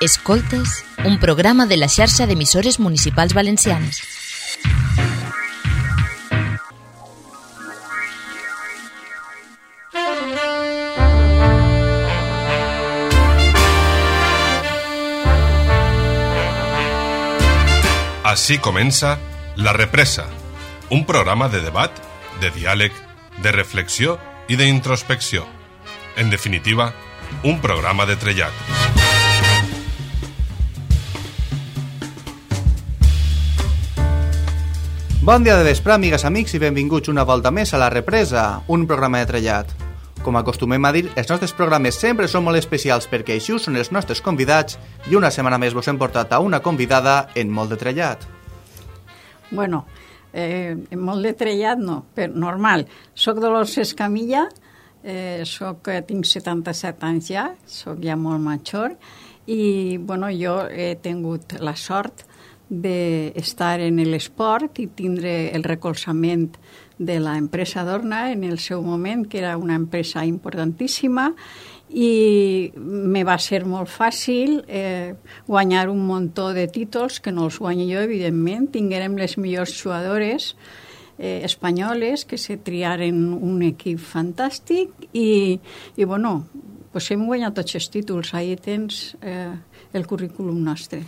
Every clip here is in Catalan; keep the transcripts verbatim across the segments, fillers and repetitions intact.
Escoltes, un programa de la xarxa d'emissores municipals valencianes. Així comença La Represa, un programa de debat, de diàleg, de reflexió i d'introspecció. En definitiva, un programa de trellat. Bon dia de vespre, amigues, amics, i benvinguts una volta més a La Represa, un programa de trellat. Com acostumem a dir, els nostres programes sempre són molt especials perquè així són els nostres convidats i una setmana més vos hem portat a una convidada en molt de trellat. Bueno, eh, en molt de trellat no, però normal. Soc Dolors Escamilla, eh, soc, tinc setanta-set anys ja, soc ja molt major i bueno, jo he tingut la sort d'estar en l'esport i tindre el recolzament de l'empresa Dorna en el seu moment, que era una empresa importantíssima, i me va ser molt fàcil eh, guanyar un muntó de títols, que no els guanyo jo, evidentment. Tinguérem les millors jugadores eh, espanyoles que se triaren un equip fantàstic i, i bueno, pues hem guanyat tots els títols. Ahí tens eh, el currículum nostre.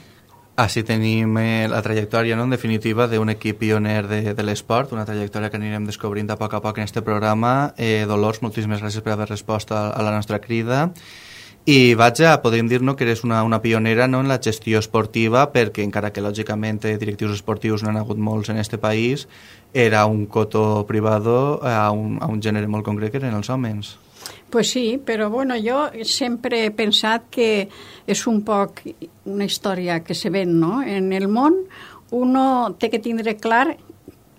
Així tenim eh, la trajectòria, no? En definitiva, d'un equip pioner de, de l'esport, una trajectòria que anirem descobrint a poc a poc en aquest programa. Eh, Dolors, moltíssimes gràcies per haver respost a, a la nostra crida. I vaja, podríem dir-nos que eres una, una pionera, no?, en la gestió esportiva, perquè encara que lògicament directius esportius no han hagut molts en aquest país, era un cotó privado a un, a un gènere molt concret que eren els homes. Pues sí, però bueno, jo sempre he pensat que és un poc una història que se ven, no? En el món uno té que tindre clar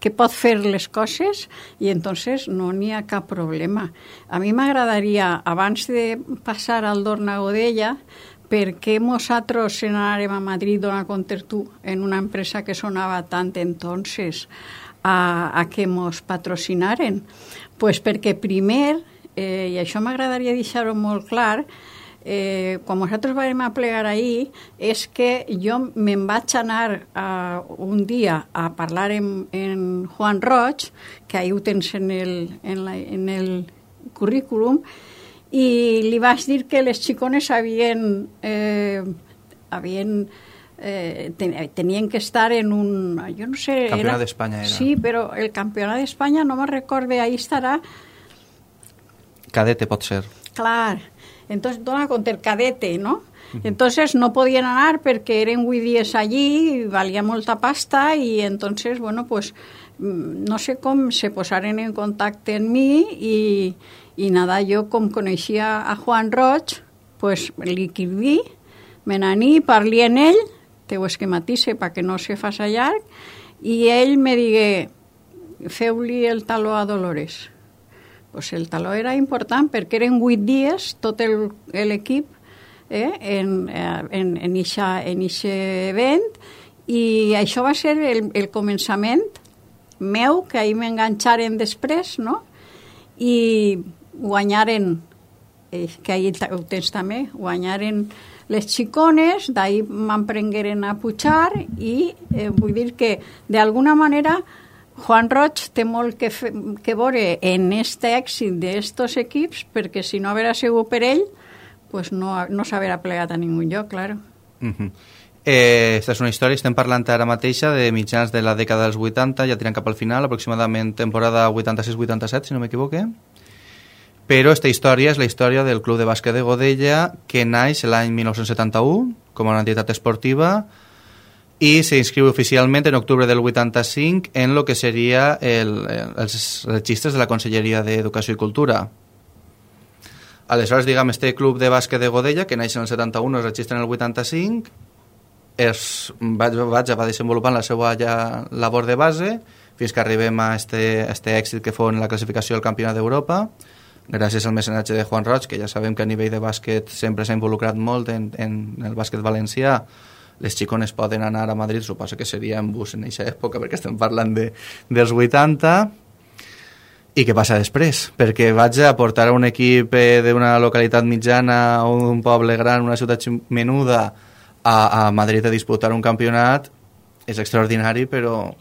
que pot fer les coses i entonces no n'hi ha cap problema. A mi m'agradaria, abans de passar al Dorna Godella, per què nosaltres anàrem a Madrid a compter tu en una empresa que sonava tant entonces a, a que mos patrocinaren? Pues perquè primer, eh, i això m'agradaria deixar-ho molt clar, eh, quan nosaltres vam aplegar ahir, és que jo me'n vaig anar a, un dia a parlar en, en Juan Roig, que ahir ho tens en el, en la, en el currículum, i li vaig dir que les xicones havien, eh, havien eh, ten, tenien que estar en un... Jo no sé... Campionat d'Espanya era. Sí, però el campionat d'Espanya no me'n recorde, ahí estarà... Cadete pot ser. Clar, entonces dona compte el cadete, ¿no? Uh-huh. Entonces no podien anar perquè eren vuit dies allí, valia molta pasta i entonces, bueno, pues no sé com se posaren en contacte amb mi i, i nada, jo com coneixia a Juan Roig, pues li quirví, me n'aní, parli en ell, te ho esquematisse perquè no se faça llarg, i ell me digué, feu-li el taló a Dolores. Pues el taló era important perquè eren vuit dies tot l'equip eh, en en, en ixa, en ixe event i això va ser el, el començament meu, que ahir m'enganxaren després, no? I guanyaren, eh, que ahir ho tens també, guanyaren les xicones, d'ahir m'emprengueren a pujar i eh, vull dir que d'alguna manera Juan Roig té molt que, fe, que veure en este èxit d'estos equips, perquè si no haguera sigut per ell, pues no, no s'haguera plegat a ningú lloc, claro. Uh-huh. Eh, esta és una història, estem parlant ara mateixa de mitjans de la dècada dels vuitanta, ja tirant cap al final, aproximadament temporada vuitanta-sis vuitanta-set, si no m'equivoque. Però esta història és la història del Club de Bàsquet de Godella, que naix l'any dinou setanta-u com una entitat esportiva, i s'inscriu oficialment en octubre del vuitanta-cinc en el que seria el, el, els registres de la Conselleria d'Educació i Cultura. Aleshores, diguem, este club de bàsquet de Godella, que naix en el setanta-u, es registra en el vuitanta-cinc, es, vaig, vaig, va desenvolupant la seva ja labor de base fins que arribem a este, este èxit que fou en la classificació del Campionat d'Europa, gràcies al mecenatge de Juan Roig, que ja sabem que a nivell de bàsquet sempre s'ha involucrat molt en, en el bàsquet valencià. Les xicones poden anar a Madrid, suposo que seria en bus en aquesta època, perquè estem parlant de, dels vuitanta. I què passa després? Perquè vaig a portar un equip d'una localitat mitjana o d'un poble gran, una ciutat menuda, a, a Madrid a disputar un campionat és extraordinari, però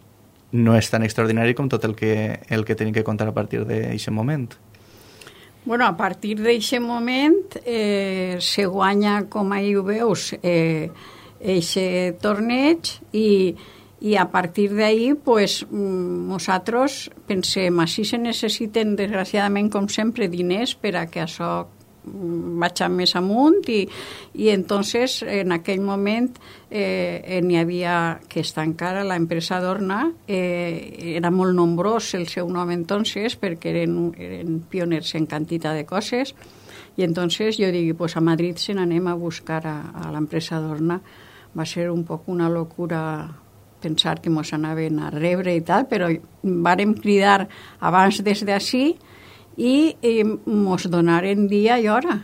no és tan extraordinari com tot el que, el que tenim que contar a partir d'aquest moment. Bueno, a partir d'aquest moment eh, se guanya, com ahir ho veus, eh, eixe torneig i, i a partir d'ahir pues, nosaltres pensem, així se necessiten desgraciadament com sempre diners per a que això vaig més amunt i, i entonces en aquell moment eh, n'hi havia que està encara l'empresa d'Orna, eh, era molt nombrós el seu nom entonces perquè eren, eren pioners en quantitat de coses i entonces jo dic, pues a Madrid se n'anem a buscar a, a l'empresa d'Orna. Va ser un poc una locura pensar que mos anaven a rebre i tal, però vàrem cridar abans des d'ací i eh, mos donaren dia i hora.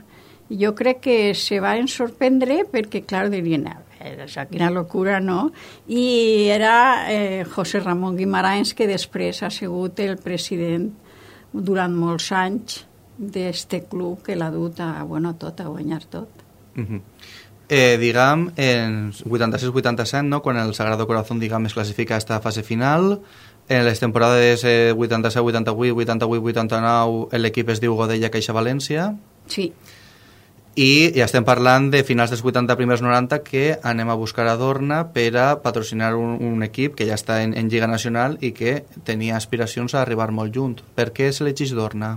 Jo crec que se van sorprendre perquè, clar, dirien, això, quina locura, no? I era eh, José Ramón Guimarães, que després ha sigut el president durant molts anys d'este club que l'ha dut a, bueno, tot, a guanyar tot. Uh-huh. Eh, diguem, en vuitanta-sis vuitanta-set, no? Quan el Sagrado Corazón, diguem, es classifica a esta fase final, en les temporades eh, vuitanta-set vuitanta-vuit, vuitanta-vuit vuitanta-nou, l'equip es diu Godella Caixa València. Sí. I ja estem parlant de finals dels vuitanta, primers noranta, que anem a buscar a Dorna per a patrocinar un, un equip que ja està en, en Lliga Nacional i que tenia aspiracions a arribar molt junt. Per què s'elegeix Dorna?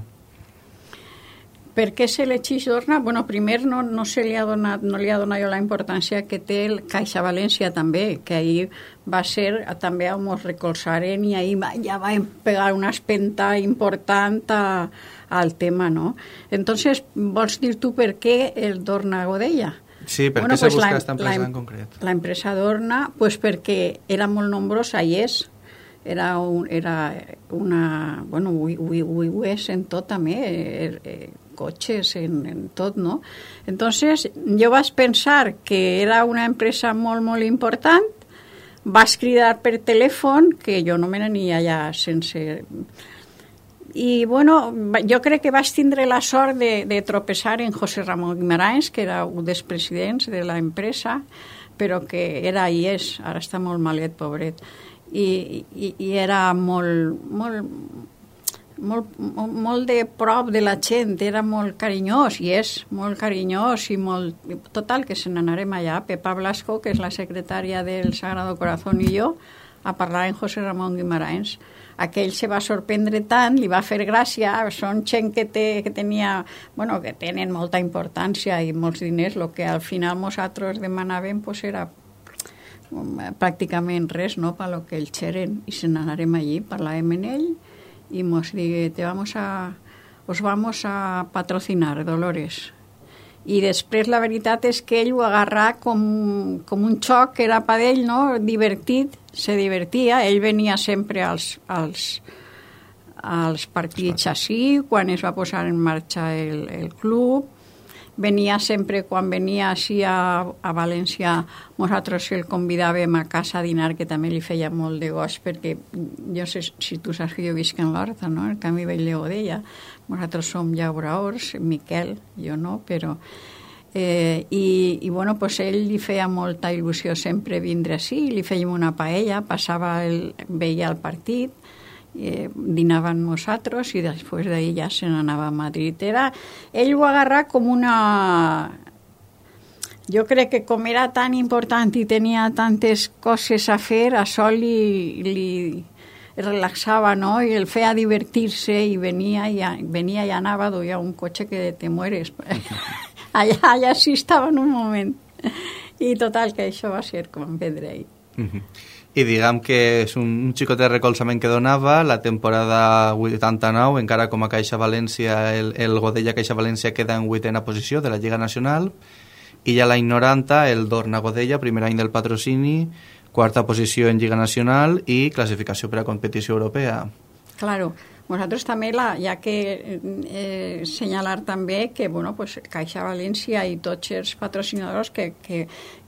Per què s'elegeix Dorna? Bueno, primer no, no, se li ha donat, no li ha donat jo la importància que té el Caixa València també, que ahir va ser també on ens recolzaren i ahir va, ja va pegar una espenta important a, al tema, ¿no? Entonces, vols dir tu per què el Dorna Godella? Sí, per bueno, què pues se busca la, aquesta empresa la, en concret? La empresa Dorna, pues perquè era molt nombrosa i és, era, un, era una... Bueno, ho, ho, ho, ho és en tot també, eh, eh, cotxes, en, en tot, no? Entonces, jo vaig pensar que era una empresa molt, molt important, vaig cridar per telèfon, que jo no me n'ania allà sense... I, bueno, jo crec que vaig tindre la sort de, de tropeçar en José Ramón Guimarães, que era un dels presidents de l'empresa, però que era i és, ara està molt malet, pobret, i, i, i era molt... molt Molt, molt, molt de prop de la gent, era molt carinyós i és molt carinyós i molt... Total, que se n'anarem allà. Pepa Blasco, que és la secretària del Sagrado Corazón, i jo, a parlar amb José Ramón Guimarães. Aquell se va sorprendre tant, li va fer gràcia, són gent que, té, que tenia... Bueno, que tenen molta importància i molts diners, el que al final nosaltres demanàvem pues, era pràcticament res, no?, per lo que ells eren. I se n'anarem allí, parlàvem amb ell, y nos dije, te vamos a, os vamos a patrocinar, Dolores. I després la veritat és que ell ho agarrà com, com un xoc, que era per ell, no? Divertit, se divertia, ell venia sempre als, als, als partits així, quan es va posar en marxa el, el club, venia sempre, quan venia així a, a València, nosaltres el convidàvem a casa a dinar, que també li feia molt de goig, perquè jo sé si tu saps que jo visc en l'Horta, no? El Camí Vell de Godella. Nosaltres som llauraors, Miquel, jo no, però... Eh, i, i bueno, pues ell li feia molta il·lusió sempre vindre així, li fèiem una paella, passava el, veia el partit, Eh, dinaven nosaltres i després d'ahir ja se n'anava a Madrid. Era, ell ho agarrà com una... Jo crec que com era tan important i tenia tantes coses a fer, això li, li relaxava, no? I el feia divertir-se i venia i, venia i anava, duia un cotxe que te mueres. allà, allà sí estava en un moment. I total, que això va ser com vendre ahir. Uh-huh. I diguem que és un, un xicot de recolzament que donava. La temporada vuitanta-nou, encara com a Caixa València, el, el Godella Caixa València queda en vuitena posició de la Lliga Nacional, i ja l'any noranta el Dorna Godella, primer any del patrocini, quarta posició en Lliga Nacional i classificació per a competició europea. Claro, nosaltres també, la, ja que eh, senyalar també que bueno, pues, Caixa València i tots els patrocinadors que, que,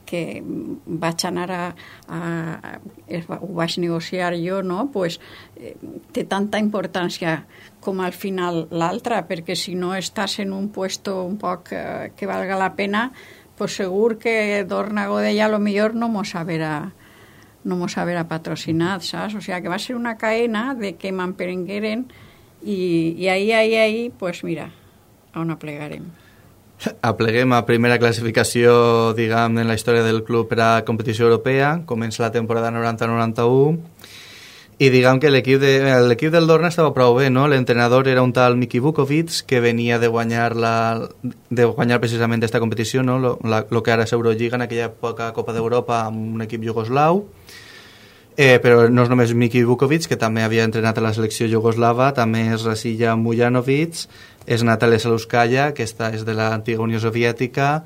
que vaig anar a, a, a ho vaig negociar jo, no? Pues, eh, té tanta importància com al final l'altra, perquè si no estàs en un puesto un poc eh, que valga la pena, pues segur que Dorna Godella a lo millor no mos haverà no mos haverà patrocinat, saps? O sea, que va ser una cadena de que m'emperengueren i, i ahí, ahí, ahí, pues mira, on aplegarem. Apleguem a primera classificació, diguem, en la història del club per a competició europea. Comença la temporada noranta noranta-u i diguem que l'equip, de, l'equip del Dorna estava prou bé, no? L'entrenador era un tal Miki Vukovic, que venia de guanyar, la, de guanyar precisament aquesta competició, no? Lo, la, lo que ara és Eurolliga, en aquella època Copa d'Europa, amb un equip jugoslau. Eh, però no és només Miki Vukovic, que també havia entrenat a la selecció jugoslava, també és Rasija Mujanovic, és Natalia Saluskaya, que esta és de l'antiga Unió Soviètica,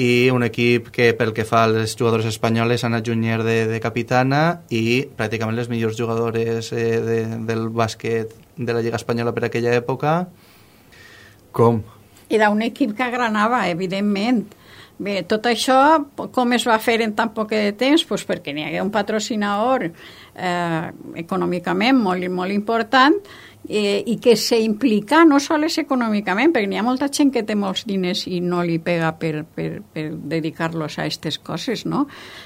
i un equip que pel que fa als jugadors espanyoles, Anna Junyer de, de capitana, i pràcticament les millors jugadores eh, de, del bàsquet de la Lliga Espanyola per aquella època. Com? Era un equip que agranava, evidentment. Bé, tot això, com es va fer en tan poc de temps? Pues perquè n'hi hagué un patrocinador eh, econòmicament molt, molt important eh, i que s'implica no sols econòmicament, perquè n'hi ha molta gent que té molts diners i no li pega per, per, per dedicar-los a aquestes coses, no?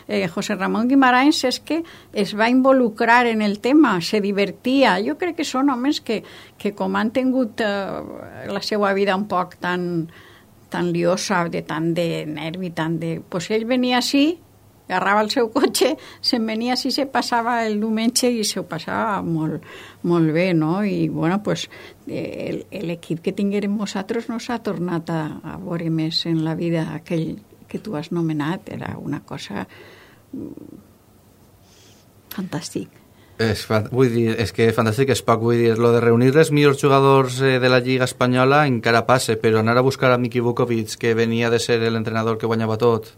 Eh, José Ramón Guimarães és que es va involucrar en el tema, se divertia. Jo crec que són homes que, que com han tingut eh, la seva vida un poc tan... tan liosa, de tant de nervi, tant de... Pues ell venia així, agarrava el seu cotxe, se'n venia així, se passava el diumenge i se ho passava molt, molt bé, no? I, bueno, pues, el, l'equip que tinguérem nosaltres no s'ha tornat a, a veure més en la vida. Aquell que tu has nomenat era una cosa fantàstic. És, vull dir, és que fantàstic és poc, vull dir, lo de reunir els millors jugadors eh, de la Lliga Espanyola encara passa, però anar a buscar a Miki Vukovic, que venia de ser l'entrenador que guanyava tot,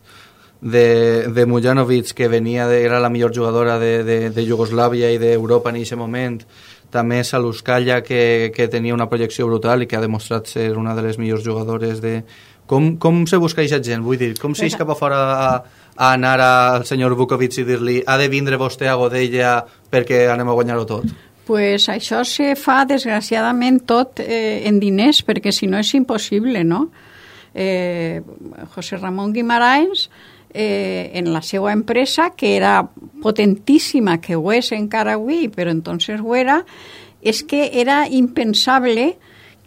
de, de Mujanovic, que venia de, era la millor jugadora de, de, de Iugoslàvia i d'Europa en aquest moment, també Saluskaya, que, que tenia una projecció brutal i que ha demostrat ser una de les millors jugadores de... Com, com se busca aquesta gent? Vull dir, com s'eix cap a fora a, a anar al senyor Vukovic i dir-li ha de vindre vostè a Godella perquè anem a guanyar-ho tot? Pues això se fa, desgraciadament, tot eh, en diners, perquè si no és impossible, no? Eh, José Ramón Guimarães, eh, en la seva empresa, que era potentíssima, que ho és encara avui, però entonces ho era, és que era impensable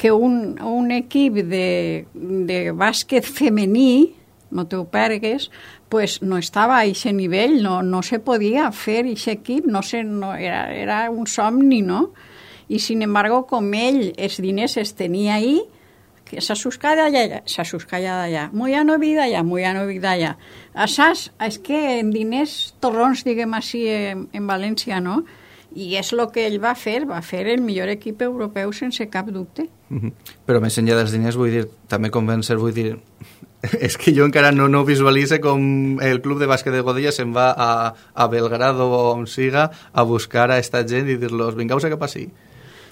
que un, un equip de, de bàsquet femení, no te ho pergues, pues no estava a aquest nivell, no, no se podia fer aquest equip, no se, no, era, era un somni, no? I, sin embargo, com ell els diners els tenia ahí, que Saluskaya d'allà, Saluskaya d'allà, Mujanovic d'allà, Mujanovic d'allà. Saps? És que en diners torrons, diguem així, en, en València, no? I és el que ell va fer, va fer el millor equip europeu sense cap dubte. Mm-hmm. Però més enllà dels diners, vull dir, també convèncer, vull dir, és que jo encara no, no visualitzo com el club de bàsquet de Godella se'n va a, a Belgrado o on siga a buscar a esta gent i dir-los, vingueu-se cap així.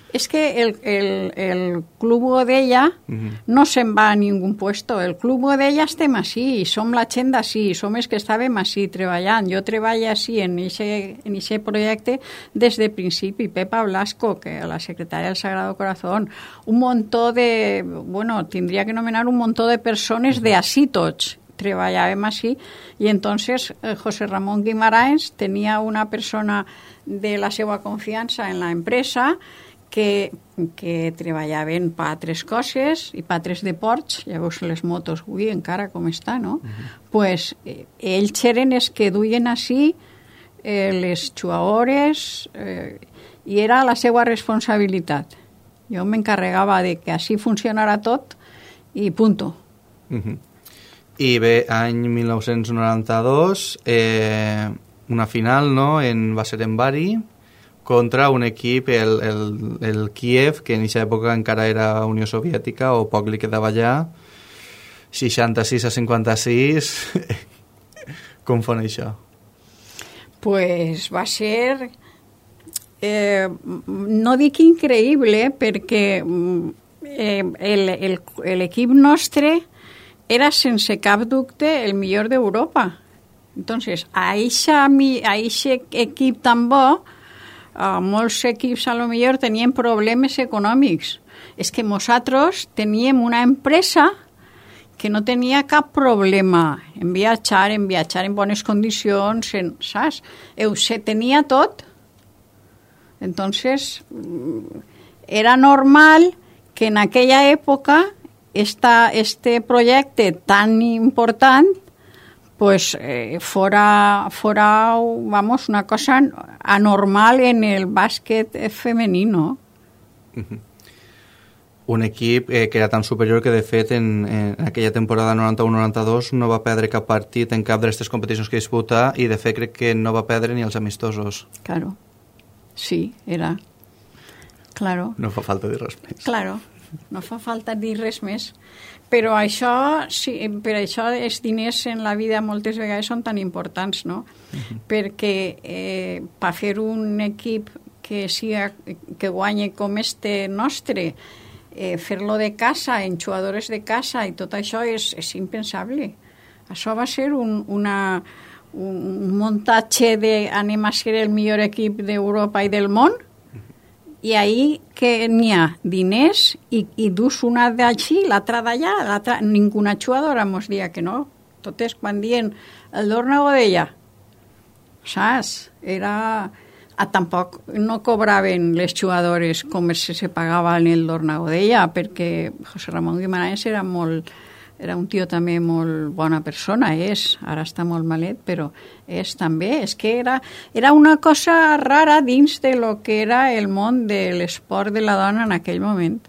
És que el, el, el Club Godella uh-huh. no se'n va a ningú puesto. El Club Godella estem així, som la gent d'ací, som els que estàvem així treballant. Jo treballo així en aquest projecte des de principi. Pepa Blasco, que la secretària del Sagrado Corazón, un muntó de... Bueno, tindria que nomenar un muntó de persones uh-huh. de així tots. Treballàvem així i entonces eh, José Ramón Guimarães tenia una persona de la seva confiança en la empresa que, que treballaven per altres coses i per altres deports, llavors les motos avui encara com està, no? Uh-huh. Pues eh, ells eren els que duien així eh, les jugadores eh, i era la seva responsabilitat. Jo m'encarregava de que així funcionara tot i punto. Uh-huh. I bé, any mil nou-cents noranta-dos, eh, una final, no?, en, va ser en Bari, contra un equip, el, el, el Kiev, que en aquesta època encara era Unió Soviètica, o poc li quedava allà, seixanta-sis a cinquanta-sis. Com fan això? Pues va ser, eh, no dic increïble, perquè eh, el, el, l'equip nostre era sense cap dubte el millor d'Europa. Entonces, a aquest equip tan bo, Uh, molts equips a lo millor tenien problemes econòmics. És que nosaltres teníem una empresa que no tenia cap problema en viatjar, en viatjar en bones condicions, en, saps? Ho se tenia tot. Entonces, era normal que en aquella època esta, este projecte tan important pues eh, fuera, fuera, vamos, una cosa anormal en el bàsquet femenino. Uh-huh. Un equip eh, que era tan superior que, de fet, en, en aquella temporada noranta-u noranta-dos no va perdre cap partit en cap d'aquestes competicions que disputa i, de fet, crec que no va perdre ni els amistosos. Claro. Sí, era. Claro. No fa falta dir res més. Claro, no fa falta dir res més. Però això, sí, per això els diners en la vida moltes vegades són tan importants, no? Uh-huh. Perquè eh, per fer un equip que, siga, que guanyi com este nostre, eh, fer-lo de casa, en jugadores de casa i tot això és, és impensable. Això va ser un, una, un muntatge de anem a ser el millor equip d'Europa i del món, i ahí que n'hi ha diners i, i dus una d'així, l'altra d'allà, l'altra, ninguna jugadora mos dia que no. Totes quan dient el Dorna Godella, saps? Era... Ah, tampoc no cobraven les jugadores com se, se pagava en el Dorna Godella, perquè José Ramón Guimarães era molt... Era un tio també molt bona persona, és, ara està molt malet, però és també, és que era, era una cosa rara dins de lo que era el món de l'esport de la dona en aquell moment.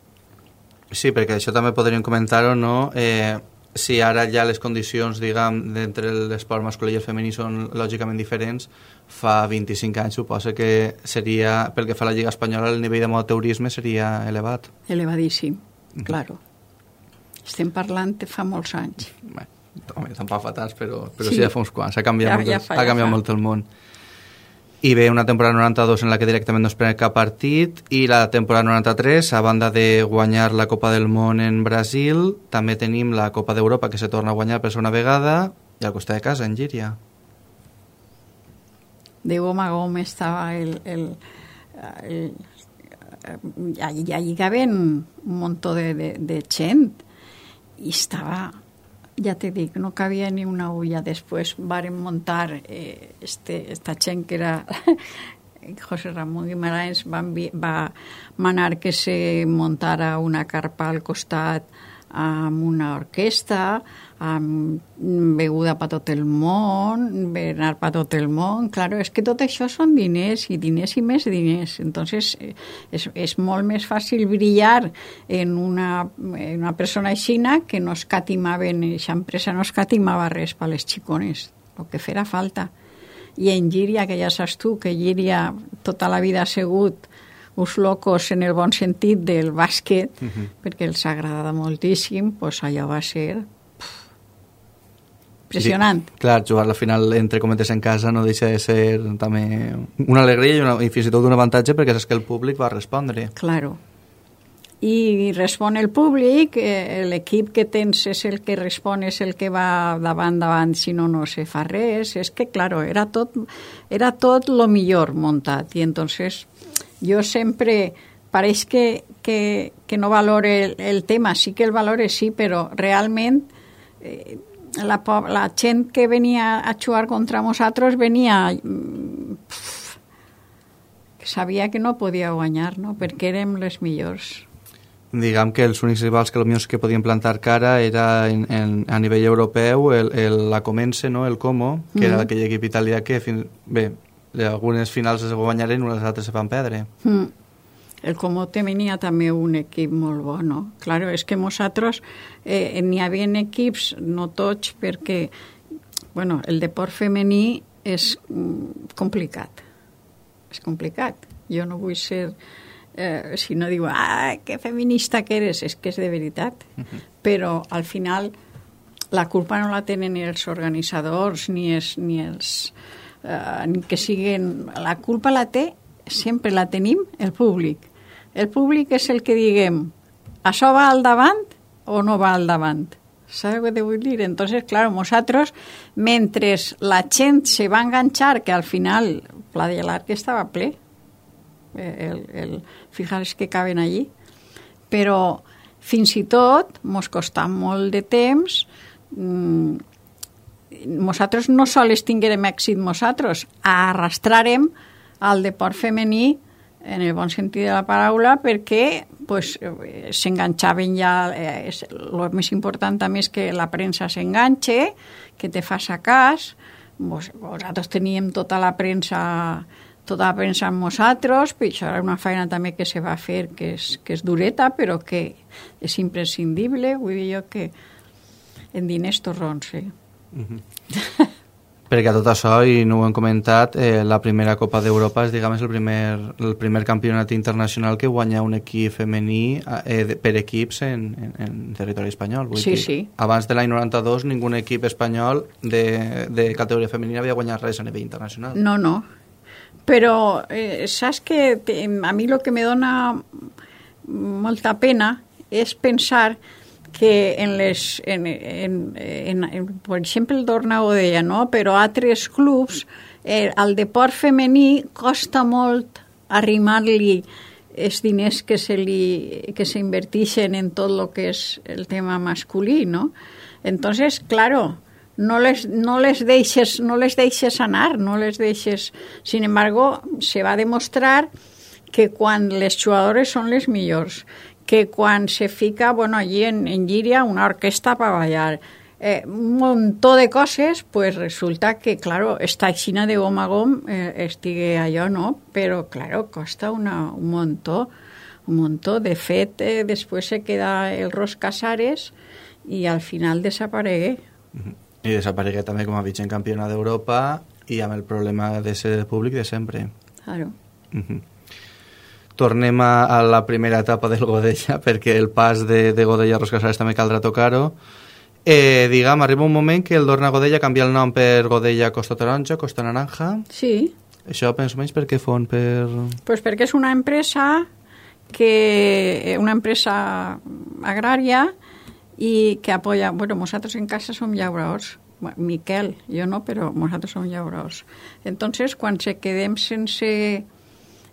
Sí, perquè això també podríem comentar-ho, no? Eh, si ara ja les condicions, diguem, d'entre l'esport masculí i el femení són lògicament diferents, fa vint-i-cinc anys suposa que seria, pel que fa a la Lliga Espanyola, el nivell d'amateurisme seria elevat. Elevadíssim, mm-hmm. Claro. Estem parlant de fa molts anys. Bé, home, tampoc fa tants, però, però sí. Sí, ja fa uns quants. Ha canviat, ja, molt, ja fa, ha canviat ja molt el món. I ve una temporada noranta-dos en la que directament no es pren cap partit, i la temporada noranta-tres, a banda de guanyar la Copa del Món en Brasil, també tenim la Copa d'Europa, que se torna a guanyar per segona vegada, i al costat de casa, en Llíria. De gom a gom estava el... el, el, el allí, allí caben un muntó de, de, de gent, i estava, ja te dic, no cabia ni una ulla. Després varen muntar eh, este, esta gent que era José Ramón Guimarães va, va manar que se muntara una carpa al costat amb una orquestra, amb beguda per tot el món, berenar per tot el món. Claro, és que tot això són diners, i diners i més diners. Entonces, és, és molt més fàcil brillar en una, en una persona aixina que no escatimaven, aquesta empresa no escatimava res per les xicones, el que fera falta. I en Llíria, que ja saps tu, que Llíria tota la vida ha sigut uns locos en el bon sentit del bàsquet, uh-huh. perquè els agrada moltíssim, pues allò va ser pff, impressionant. Sí, clar, jugar la final entre cometes en casa no deixa de ser també una alegria i, una, i fins i tot un avantatge, perquè és que el públic va respondre. Claro. I respon el públic, eh, l'equip que tens és el que respon, és el que va davant, davant, si no, no se fa res. És que, claro, era tot, era tot lo millor muntat, i entonces... Jo sempre, pareix que, que, que no valore el, el tema, sí que el valore, sí, però realment eh, la, la gent que venia a jugar contra nosaltres venia... Pff, que sabia que no podia guanyar, no? Perquè érem les millors. Diguem que els únics rivals que potser que podien plantar cara era en, en, a nivell europeu el, el, la Comense, no? El Como, que mm. era aquell equip italià que... Fin, bé, algunes finals es guanyaren, unes altres se van perdre. Mm. El Como tenia també un equip molt bo, no? Claro, és que nosaltres eh, n'hi havia equips, no tots, perquè bueno, el deport femení és mm, complicat. És complicat. Jo no vull ser... Eh, si no diu, ah, que feminista que eres, és que és de veritat. Uh-huh. Però al final la culpa no la tenen ni els organitzadors ni els... Ni els Uh, que siguen, la culpa la té, sempre la tenim el públic. El públic és el que diguem, això va al davant o no va al davant. ¿Sabes què te vull dir? Entonces, claro, nosaltres, mentre la gent se va enganxar, que al final Pla de l'Arc estava ple, el, el, fijaros que caben allí, però fins i tot mos costa molt de temps. Mm, nosaltres no sols tinguérem èxit nosaltres, arrastrarem al deport femení en el bon sentit de la paraula, perquè pues, s'enganxaven ja, eh, el més important també és que la premsa s'enganxe, que te faça cas. Vos, vosaltres teníem tota la premsa tota la premsa amb nosaltres, però això era una feina també que se va fer, que és, que és dureta, però que és imprescindible, vull dir jo que en diners torrons, sí. Mm-hmm. Perquè a tot això, i no ho hem comentat, eh, la primera Copa d'Europa és, diguem, el primer, el primer campionat internacional que guanya un equip femení eh, de, per equips en, en, en territori espanyol. Vull sí, dir, sí. Abans de l'any noranta-dos, ningú equip espanyol de, de categoria femenina havia guanyat res a nivell internacional. No, no. Però eh, saps que te, a mi el que me dona molta pena és pensar que en les, en, en, en, en, per exemple, el Dorna Godella, no? Però altres clubs, eh, al deport femení costa molt arrimar-li els diners que se li, que s'invertixen en tot el que és el tema masculí, no? Entonces, claro, no les, no les deixes, no les deixes anar, no les deixes... Sin embargo, se va demostrar que quan les jugadores són les millors, que quan se fica, bueno, allí en, en Llíria, una orquesta para bailar, eh, un montón de cosas, pues resulta que, claro, esta Xina de gom a gom eh, estigue allò, no? Però, claro, costa una, un montó, un montó. De fet, eh, després se queda el Ros Casares i al final desaparegué. Mm-hmm. I desaparegué també com a vigent campiona d'Europa i amb el problema de ser públic de sempre. Claro. Mm-hmm. Tornem a, a la primera etapa del Godella, perquè el pas de, de Godella a Ros Casares també caldrà tocar-ho. Eh, diguem, arriba un moment que el Dorna Godella canvia el nom per Godella Costa Taronja, Costa Naranja. Sí. Això, penso menys, per què fon? Per... Pues perquè és una empresa que una empresa agrària i que apoya... Bueno, nosaltres en casa som llauradors. Miquel, jo no, però nosaltres som llauradors. Entonces, quan se quedem sense...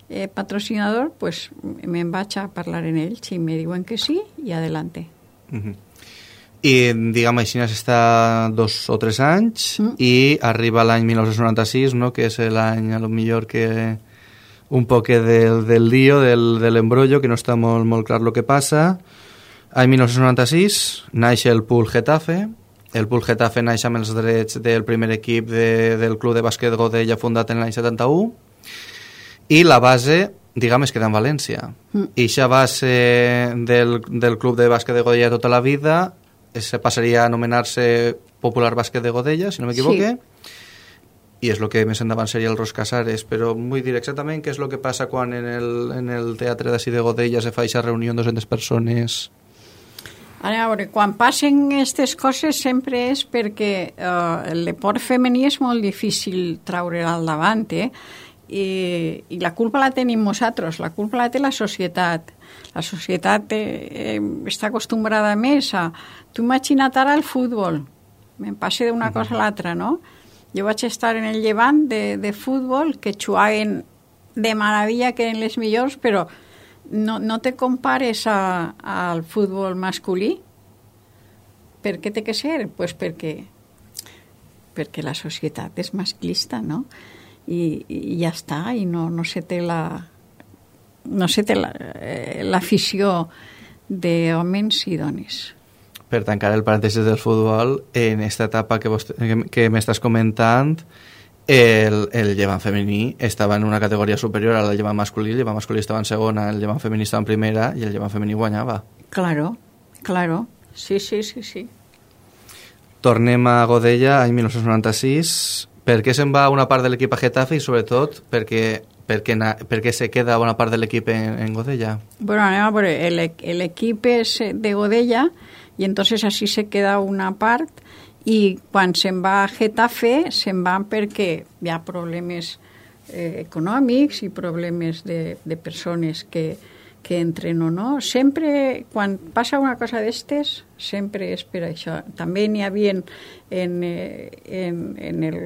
Eh, patrocinador, pues me'n vaig a parlar en ells i me diuen que sí i adelante. Uh-huh. I diguem així està dos o tres anys mm. i arriba l'any mil nou-cents noranta-sis, no? Que és l'any a lo millor que un poc del, del lío, del, de l'embrollo, que no està molt, molt clar el que passa. Any mil nou-cents noranta-sis naix el Pool Getafe. El Pool Getafe naix amb els drets del primer equip de, del Club de Bàsquet Godella fundat en l'any setanta-u. I la base, diguem, es queda en València. Mm. I aquesta base del, del Club de Bàsquet de Godella tota la vida se passaria a anomenar-se Popular Bàsquet de Godella, si no m'equivoque, sí. I és el que més endavant seria el Ros Casares, però vull dir exactament què és el que passa quan en el, en el teatre d'ací de Godella se fa aquesta reunió amb dues-centes persones. A veure, quan passen aquestes coses sempre és perquè eh, el deport femení és molt difícil treure al davant, eh? I, i la culpa la tenim nosaltres, la culpa la té la societat. La societat eh, eh, està acostumbrada més a... Tu imagina't ara el futbol, me'n passe d'una cosa a l'altra, no? Jo vaig estar en el Llevant de, de futbol, que juguen de meravella, que eren les millors, però no, no te compares a, al futbol masculí. Per què té que ser? Pues perquè, perquè la societat és masclista, no? I, i ja està, i no, no se té la no se té la, eh, l'afició d'homes i dones. Per tancar el parèntesis del futbol, en aquesta etapa que, vos, que, que m'estàs comentant, el, el llevant femení estava en una categoria superior al llevant masculí, el llevant masculí estava en segona, el llevant femení estava en primera i el llevant femení guanyava. Claro, claro, sí, sí, sí, sí. Tornem a Godella, any mil nou-cents noranta-sis. Per què se'n va una part de l'equip a Getafe i, sobretot, per què, per què, per què se queda una part de l'equip en, en Godella? Bueno, anem a veure, el, el equip és de Godella i entonces així se queda una part i quan se'n va a Getafe se'n van perquè hi ha problemes eh, econòmics i problemes de, de persones que, que entreno, no? Sempre, quan passa una cosa d'estes, sempre és per això. També n'hi havia en, en, en, en, el,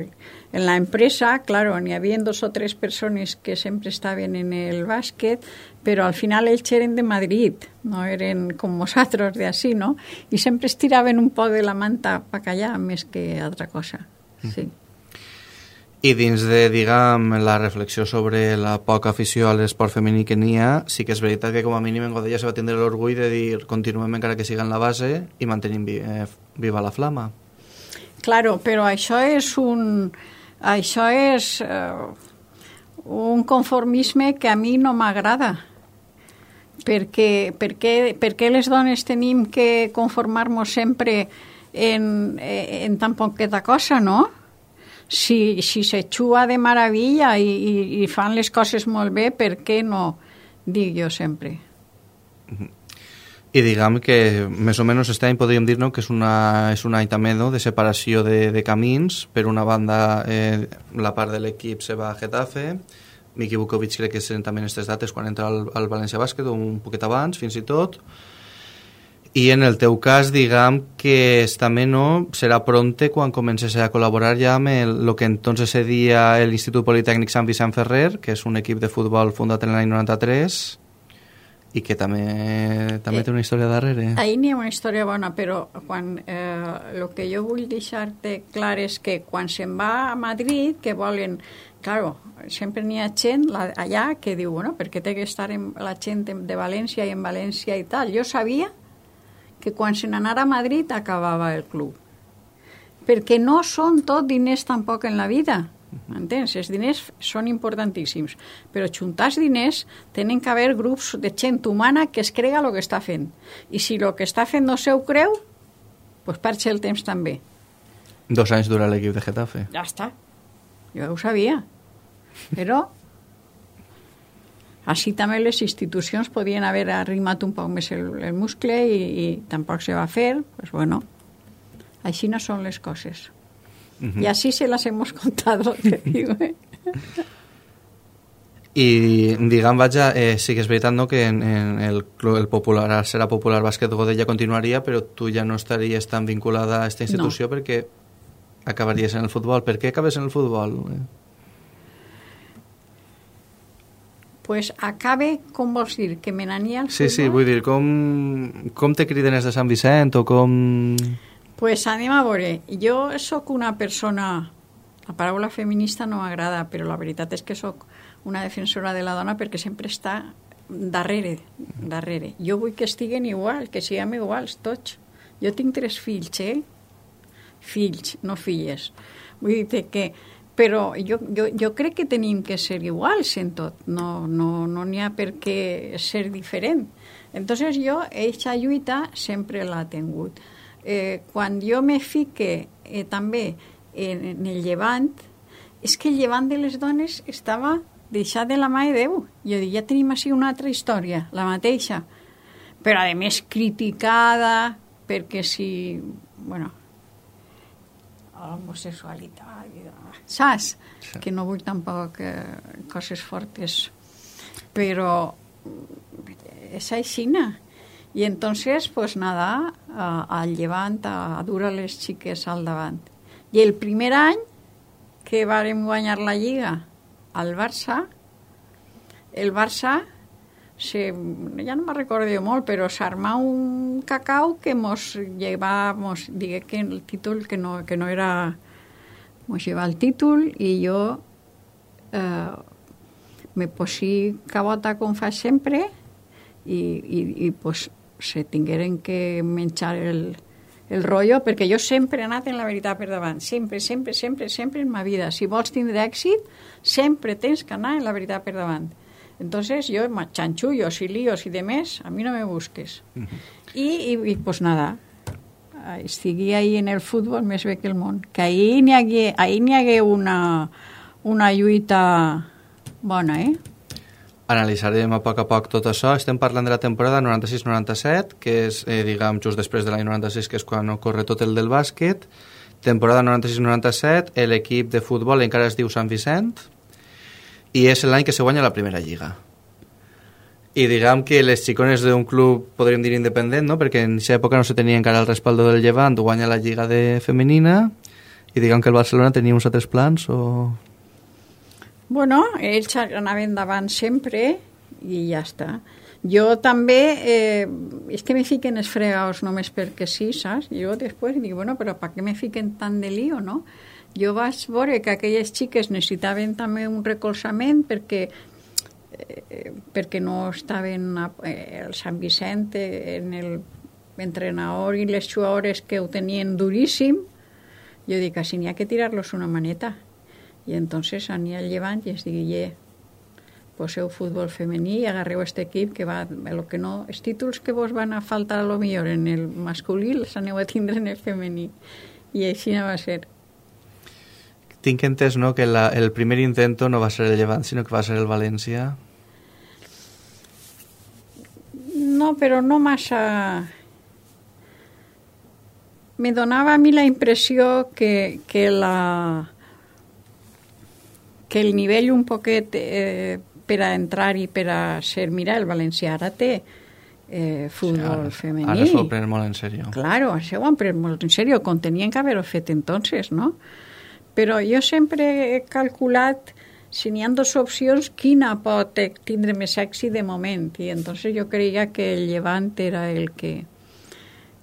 en la empresa, claro, n'hi havia dos o tres persones que sempre estaven en el bàsquet, però al final ells eren de Madrid, no eren com nosaltres d'ací, no? I sempre estiraven un poc de la manta pa callar més que altra cosa, sí. Mm. I dins de, diguem, la reflexió sobre la poca afició a l'esport femení que n'hi ha, sí que és veritat que com a mínim en Godella se va tindre l'orgull de dir continuem encara que siga en la base i mantenim vi, eh, viva la flama. Claro, però això és un... Això és uh, un conformisme que a mi no m'agrada. Perquè, perquè, perquè les dones tenim que conformar-nos sempre en, en tan poqueta cosa, no? Si, si se xua de meravella i, i, i fan les coses molt bé, per què no? Dic jo sempre. I diguem que més o menys aquest any podríem dir, no, que és, una, és un any també, no, de separació de, de camins. Per una banda, eh, la part de l'equip se va a Getafe, Miki Vukovic crec que seran també aquestes dates quan entra al, al València Bàsquet, o un poquet abans, fins i tot. I en el teu cas, diguem que també no serà pronte quan comences a col·laborar ja amb el, el que entonces seria l'Institut Politècnic Sant Vicent Ferrer, que és un equip de futbol fundat en l'any noranta-tres i que també, també eh, té una història darrere. Ahí n'hi ha una història bona, però quan eh, el que jo vull deixar-te clar és que quan se'n va a Madrid, que volen... Claro, sempre n'hi ha gent allà que diu, bueno, perquè té que estar en, la gent de València i en València i tal. Jo sabia que quan se n'anara a Madrid acabava el club. Perquè no són tot diners tampoc en la vida, m'entens? Els diners són importantíssims, però juntar diners tenen que haver grups de gent humana que es crega el que està fent. I si el que està fent no se ho creu, doncs perd el temps també. Dos anys dura l'equip de Getafe. Ja està. Jo ho sabia. Però així també les institucions podien haver arrimat un poc més el, el muscle i, i tampoc se va fer. Pues bueno, així no són les coses. Uh-huh. Y así se las hemos contado, te digo, ¿eh? I, diguem, vaja, eh, sí que és veritat, no?, que en, en el, el popular, serà popular bàsquet Godella continuaria, però tu ja no estaries tan vinculada a aquesta institució, no, perquè acabaries en el futbol. Per què acabes en el futbol? Pues acabe, com vols dir, que me n'ania al futbol? Sí, sí, vull dir, com, com te criden els de Sant Vicent o com... Pues anem a veure, jo sóc una persona, la paraula feminista no m'agrada, però la veritat és que sóc una defensora de la dona perquè sempre està darrere, darrere. Jo vull que estiguen igual, que siguem iguals tots. Jo tinc tres fills, eh? Fills, no filles. Vull dir que... Però jo, jo, jo crec que tenim que ser iguals en tot, no no, no n'hi ha per què ser diferent. Entonces jo, aquesta lluita sempre l'ha tingut. Eh, quan jo me fique eh, també en, en el llevant, és que el llevant de les dones estava deixat de la mà de Déu. Jo dic, ja tenim així una altra història, la mateixa, però a més criticada, perquè si, bueno, l'homosexualitat, saps? Sí. Que no vull tampoc eh, coses fortes, però és aixina. I entonces, pues nada, a, al llevant, a, a dur a les xiques al davant. I el primer any que vàrem guanyar la Lliga al Barça, el Barça, se, ja no me'n recordo molt, però s'armà un cacau que mos llevava, mos digué que el títol, que no, que no era... Mos llevava el títol i jo eh, me posí cabota com fa sempre i, i, i pues, se tingueren que menjar el, el rotllo, perquè jo sempre he anat en la veritat per davant, sempre, sempre, sempre, sempre en ma vida. Si vols tindre èxit, sempre tens que anar en la veritat per davant. Entonces yo, chanchullos y líos y demás, a mí no me busques. Uh-huh. I, i, i pues nada, estigui ahí en el futbol més bé que el món. Que ahí n'hi hagué, ahí n'hi hagué una, una lluita bona, eh? Analitzarem a poc a poc tot això. Estem parlant de la temporada noranta-sis noranta-set, que és, eh, diguem, just després de l'any noranta-sis, que és quan ocorre tot el del bàsquet. Temporada noranta-sis noranta-set, l'equip de futbol encara es diu Sant Vicent, i és l'any que se guanya la primera lliga. I diguem que les xicones d'un club, podríem dir independent, no? Perquè en aquesta època no se tenia encara el respaldo del Llevant, guanya la Lliga de femenina, i diguem que el Barcelona tenia uns altres plans, o... Bueno, ells anaven davant sempre i ja està. Jo també, eh, és que me fiquen els fregaos només perquè sí, saps? Jo després dic, bueno, però per què me fiquen tant de lío, no? Jo vaig veure que aquelles xiques necessitaven també un recolzament perquè eh, perquè no estaven a, eh, el Sant Vicent en el entrenador i les jugadores que ho tenien duríssim. Jo dic, així n'hi ha que tirar-los una maneta. I entonces anir al Llevant i es digui, poseu futbol femení i agarreu este equip que va, lo que no, els títols que vos van a faltar a lo millor en el masculí els aneu a tindre en el femení. I així no va ser. Tinc entès, no?, que la, el primer intento no va ser el Llevant, sinó que va ser el València. No, però no massa... Me donava a mi la impressió que, que la... que el nivell un poquet eh, per a entrar i per a ser... Mira, el València ara té eh, futbol sí, femení. Ara s'ho pren molt en sèrio. Claro, això ho han pres molt en sèrio, com tenien que haver-ho fet entonces, no? Però jo sempre he calculat, si n'hi ha dues opcions, quina pot tindre més èxit de moment. I entonces jo creia que el Llevant era el que...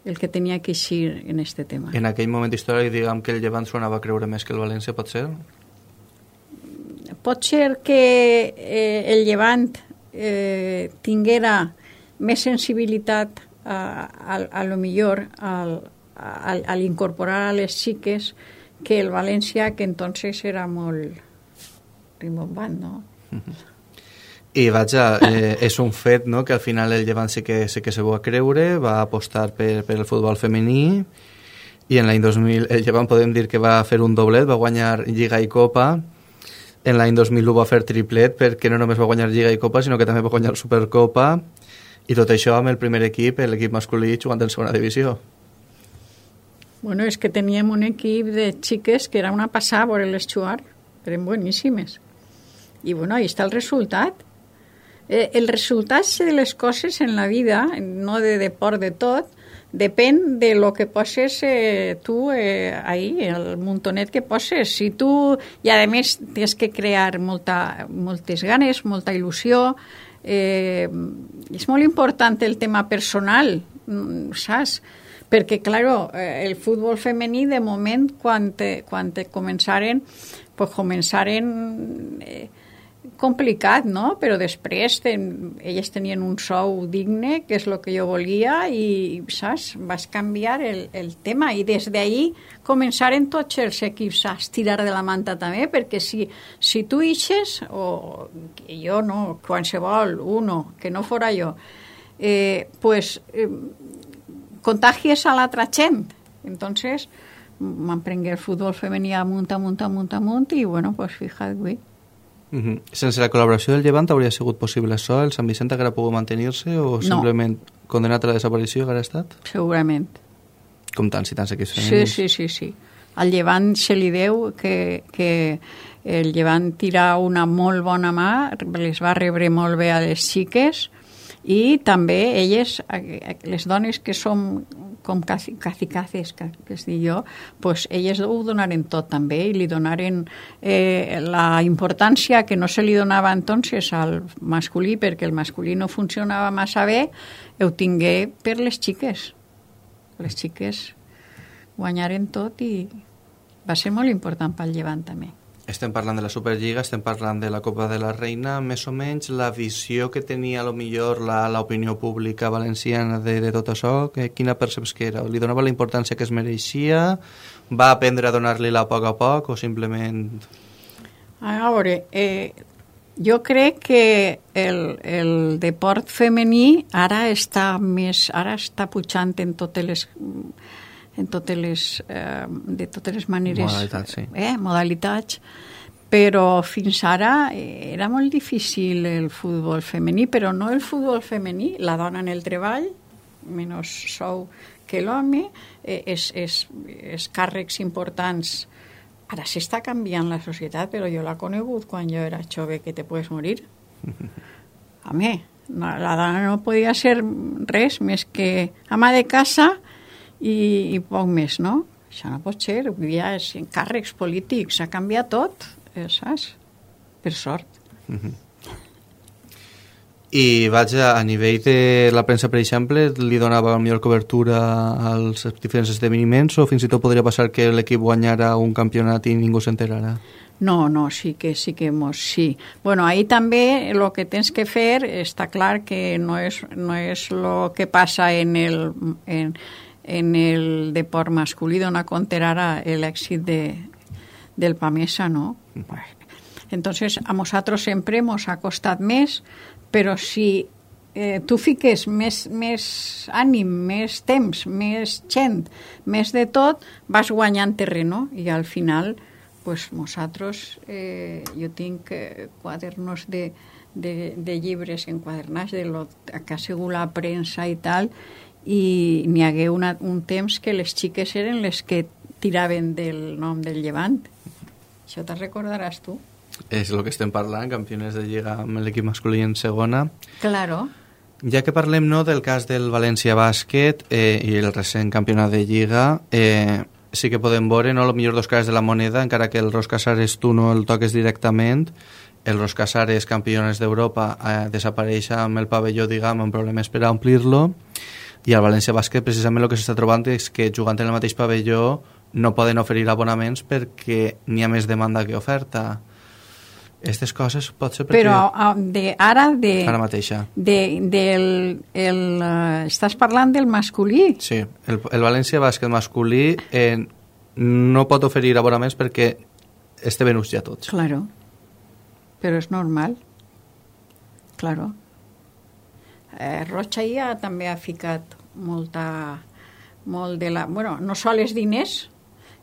el que tenia que eixir en este tema. En aquell moment històric, diguem que el Llevant s'ho anava a creure més que el València, pot ser? Pot ser que eh, el Llevant eh, tinguera més sensibilitat a, a, a lo millor al, al, al incorporar a les xiques que el València, que entonces era molt rimbombant, no? I vaja, eh, és un fet, no?, que al final el Llevant sí que, sí que se va a creure, va apostar per, per el futbol femení, i en l'any dos mil el Llevant podem dir que va fer un doblet, va guanyar Lliga i Copa. En l'any dos mil u va fer triplet, perquè no només va guanyar Lliga i Copa, sinó que també va guanyar Supercopa, i tot això amb el primer equip, l'equip masculí, jugant en segona divisió. Bueno, és que teníem un equip de xiques que era una passada a veure-les jugar, eren boníssimes. I bueno, ahí està el resultat. Eh, el resultat de les coses en la vida, no de deport de tot, depèn de lo que poses eh, tu eh, ahí, el muntonet que poses. Si tu, i a més tens que crear molta, moltes ganes, molta il·lusió, eh, és molt important el tema personal, saps? Perquè, claro, el futbol femení, de moment, quan te, quan te començaren, pues començaren... Eh, complicat, no? Però després ten, elles tenien un sou digne, que és el que jo volia, i, saps, vas canviar el, el tema, i des d'ahir començaren tots els equips a estirar de la manta també, perquè si, si tu ixes, o jo no, qualsevol, uno, que no fora jo, eh, pues eh, contagies a l'altra gent. Entonces, m'emprengué el futbol femení amunt, amunt, amunt, amunt, i bueno, pues fíjate, Uh -huh. Sense la col·laboració del Llevant hauria sigut possible això? El Sant Vicent haguera pogut mantenir-se o simplement no. Condenat a la desaparició haguera estat? Segurament. Com tants i tants equips femenins. Sí, sí, sí, sí. Al Llevant se li deu que, que el Llevant tira una molt bona mà, les va rebre molt bé a les xiques, i també elles, les dones que som com cacicaces, que es diu jo, pues elles ho donaren tot també, i li donaren eh, la importància que no se li donava entonces al masculí, perquè el masculí no funcionava massa bé, ho tingué per les xiques. Les xiques guanyaren tot i va ser molt important pel Llevant també. Estem parlant de la Superliga, estem parlant de la Copa de la Reina, més o menys la visió que tenia a lo millor l'opinió pública valenciana de, de tot això, que, quina perceps que era? Li donava la importància que es mereixia? Va aprendre a donar-li-la a poc a poc o simplement... A veure, eh, jo crec que el, el deport femení ara està més, ara està pujant en totes les... en totes les, eh, de totes les maneres, modalitats, sí. eh, modalitats, però fins ara era molt difícil el futbol femení, però no el futbol femení, la dona en el treball, menys sou que l'home, eh, és, és, és càrrecs importants. Ara s'està canviant la societat, però jo l'he conegut quan jo era jove, que te puedes morir. Home, No, la dona no podia ser res més que ama de casa i, i poc més, no? Això no pot ser, ja és en càrrecs polítics, ha canviat tot, eh, saps? Per sort. Mm-hmm. I vaja, a nivell de la premsa, per exemple, li donava millor cobertura als diferents esdeveniments o fins i tot podria passar que l'equip guanyara un campionat i ningú s'enterara? No, no, sí que sí que mos, sí. Bueno, ahí també el que tens que fer està clar que no és, no és lo que passa en el, en, en el deport masculí, d'on compter ara l'èxit de, del Pamesa, no? Mm. Entonces, a nosaltres sempre mos ha costat més, però si eh, tu fiques més, més ànim, més temps, més gent, més de tot, vas guanyant terreno i al final pues, nosaltres, eh, jo tinc eh, quadernos de, de, de llibres enquadernats de lo que ha sigut la premsa i tal, i n'hi hagué una, un temps que les xiques eren les que tiraven del nom del Llevant. Això te'n recordaràs tu? És el que estem parlant, campioners de Lliga amb l'equip masculí en segona. Claro. Ja que parlem no, del cas del València Bàsquet eh, i el recent campionat de Lliga, eh, sí que podem veure no, els millors dos cares de la moneda, encara que el Ros Casares tu no el toques directament. El Ros Casares, campiones d'Europa, eh, desapareix amb el pavelló, diguem, amb problemes per a omplir-lo, i el València Bàsquet precisament el que s'està trobant és que jugant en el mateix pavelló no poden oferir abonaments perquè n'hi ha més demanda que oferta. Aquestes coses pot ser perquè... Però de, ara de... Ara mateixa. De, del, el, uh, estàs parlant del masculí? Sí, el, el València Bàsquet masculí eh, no pot oferir abonaments perquè este venuts ja tots. Claro, però és normal. Claro. Eh, Rocha ja també ha ficat molta... molt de la... Bueno, no sols diners,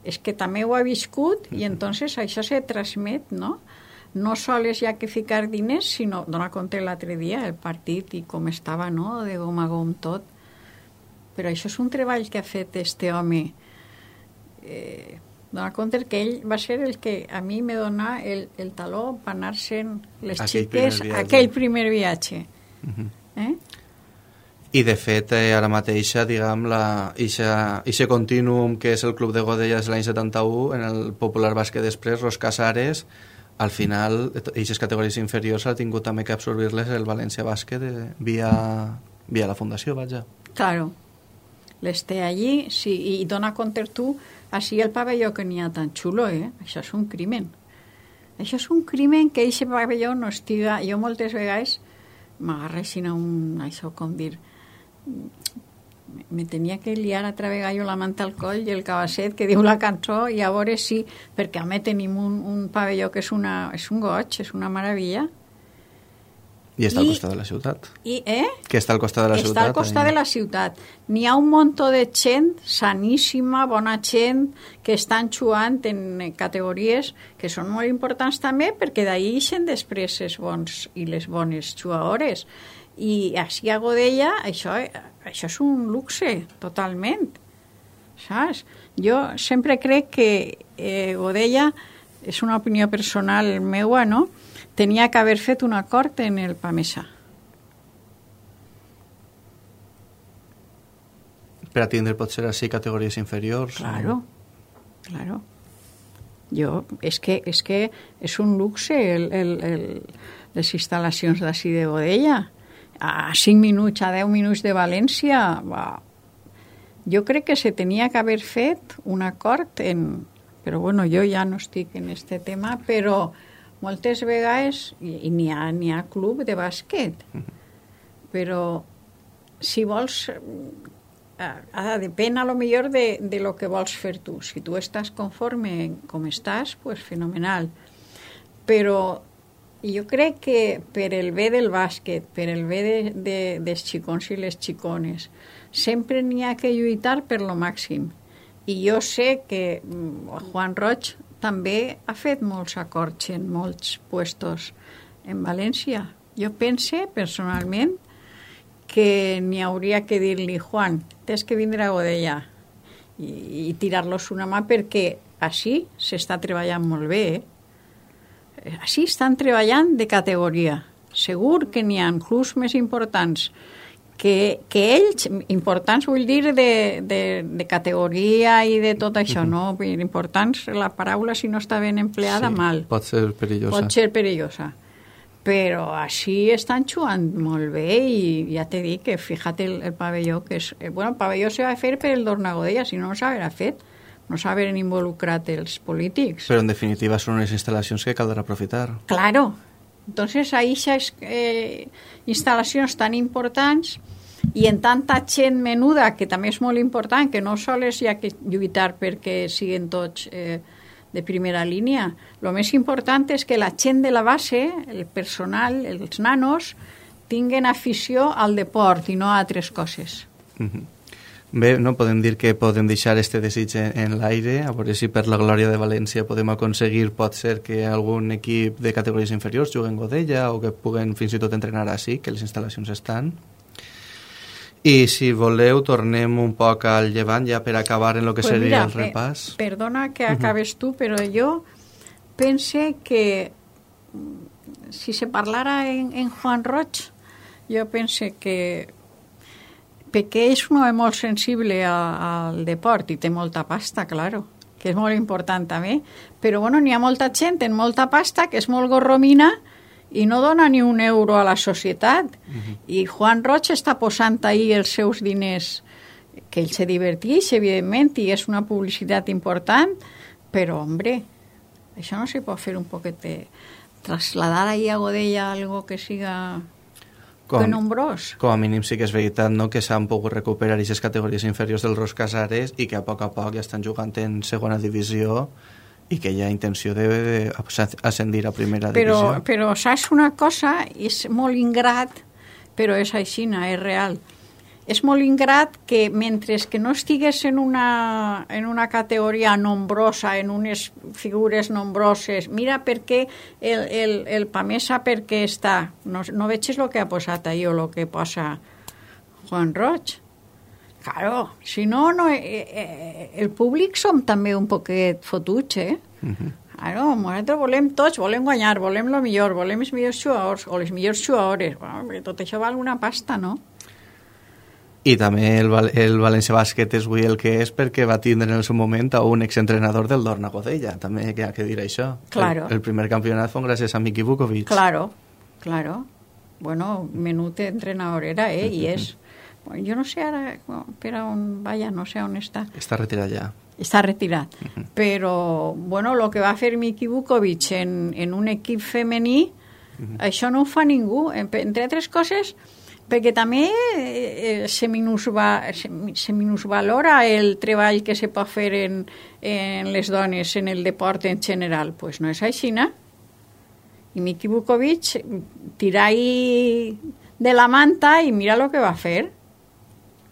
és que també ho ha viscut i entonces això se transmet, no? No sols hi ha que ficar diners, sinó, dona compte l'altre dia, el partit i com estava, no?, de gom a gom tot. Però això és un treball que ha fet este home. Eh, dona compte que ell va ser el que a mi me dona el, el taló per anar-se'n les aquell xiques primer aquell primer viatge. Uh-huh. Eh? I de fet, eh, ara mateixa, diguem, la, ixa, ixe continuum que és el Club de Godella de l'any setanta-u, en el Popular Bàsquet després, Ros Casares, al final, aquestes categories inferiors ha tingut també que absorbir-les el València Bàsquet eh, via, via la fundació, vaja. Claro. Les té allí, sí, i dona compte tu, així el pavelló que n'hi ha tan xulo, eh? Això és un crimen. Això és un crimen que aquest pavelló no estiga... Jo moltes vegades m'agarreixin a un... Això com dir... me tenia que liar altra vegada jo la manta al coll i el cabasset que diu la cançó i a veure si, perquè a mi tenim un, un pavelló que és, una, és un goig, és una meravella. I està I, al costat de la ciutat. I, eh? Que està al costat de la està ciutat. Està al costat ahí. de la ciutat. N'hi ha un muntó de gent saníssima, bona gent, que estan jugant en categories que són molt importants també, perquè d'ahir ixen després els bons i les bones jugadores. I així a Godella això, això és un luxe totalment, saps? Jo sempre crec que eh, Godella, és una opinió personal meua, no? Tenia que haver fet un acord en el Pamesa. Per a tindre potser així categories inferiors. Claro, o... claro. Jo, és que és, que és un luxe el, el, el, les instal·lacions d'ací de Godella. A cinc minuts, a deu minuts de València, va. Jo crec que se tenia que haver fet un acord en... Però bueno, jo ja no estic en este tema, però moltes vegades, i, i n'hi ha, n'hi ha club de bàsquet, però si vols, eh, depèn a lo millor de, de lo que vols fer tu. Si tu estàs conforme com estàs, pues fenomenal. Però jo crec que per el bé del bàsquet, per el bé de, de, dels xicons i les xicones, sempre n'hi ha que lluitar per lo màxim. I jo sé que Juan Roig també ha fet molts acords en molts puestos en València. Jo pense, personalment, que n'hi hauria que dir-li, Juan, tens que vindre a Godella i, i tirar-los una mà perquè així s'està treballant molt bé, eh? Així estan treballant de categoria. segur que n'hi ha clubs més importants que, que ells, importants vull dir de, de, de categoria i de tot això, uh-huh. no? Importants, la paraula si no està ben empleada, sí, mal. Pot ser perillosa. Pot ser perillosa. Però així estan jugant molt bé i ja t'he dit que fíjate el, el pavelló que és... Bueno, el pavelló se va fer per el Dornagodella, si no no s'haurà fet, no s'haurien involucrat els polítics. Però en definitiva són unes instal·lacions que caldrà aprofitar. Claro. Entonces, ahí aquestes eh, instal·lacions tan importants i en tanta gent menuda, que també és molt important, que no sols hi ha que lluitar perquè siguin tots... Eh, de primera línia. Lo més important és que la gent de la base, el personal, els nanos, tinguen afició al deport i no a altres coses. Mm-hmm. Bé, no podem dir que podem deixar este desig en, en l'aire, a veure si per la glòria de València podem aconseguir, pot ser que algun equip de categories inferiors juguen Godella o que puguen fins i tot entrenar així, que les instal·lacions estan. I si voleu, tornem un poc al Llevant ja per acabar en el que pues seria mira, el repàs. Eh, perdona que acabes uh-huh. tu, però jo pense que si se parlara en, en Juan Roig, jo pense que perquè és un home molt sensible a, al deport i té molta pasta, claro, que és molt important també, però bueno, n'hi ha molta gent en molta pasta que és molt gorromina i no dona ni un euro a la societat. Uh-huh. I Juan Roig està posant ahí els seus diners, que ell se diverteix, evidentment, i és una publicitat important, però, hombre, això no se pot fer un poquet de... trasladar ahí a Godella algo que siga com, nombrós. Com a mínim sí que és veritat, no?, que s'han pogut recuperar aquestes categories inferiors del Ros Casares i que a poc a poc ja estan jugant en segona divisió i que hi ha intenció d'ascendir a primera però, divisió. Però saps una cosa? És molt ingrat, però és així, és real. És molt ingrat que mentre que no estigués en una, en una categoria nombrosa, en unes figures nombroses, mira per què el, el, el Pamesa per què està. No, no veig el que ha posat ahí o el que posa Juan Roig. Claro, si no, no eh, eh, el públic som també un poquet fotuts, eh? Uh-huh. Claro, nosaltres volem tots, volem guanyar, volem el millor, volem els millors jugadors o les millors jugadores. Bueno, tot això val una pasta, no? I també el, el València Bàsquet és avui el que és perquè va tindre en el seu moment a un exentrenador del Dorna Godella, també hi ha que dir això. Claro. El, el primer campionat fue gràcies a Miki Vukovic. Claro, claro. Bueno, menut entrenador era, eh, uh-huh. i és... Jo no sé ara per on vaya, no sé on està. Està retirat ja. Està retirat. Uh-huh. Però, bueno, el que va fer Miki Vukovic en, en un equip femení, uh-huh. això no ho fa ningú. Entre altres coses, perquè també eh, se, minusva, se, se minusvalora el treball que se pot fer en, en les dones, en el deport en general. Doncs pues no és així, no? I Miki Vukovic tira ahí de la manta i mira el que va fer.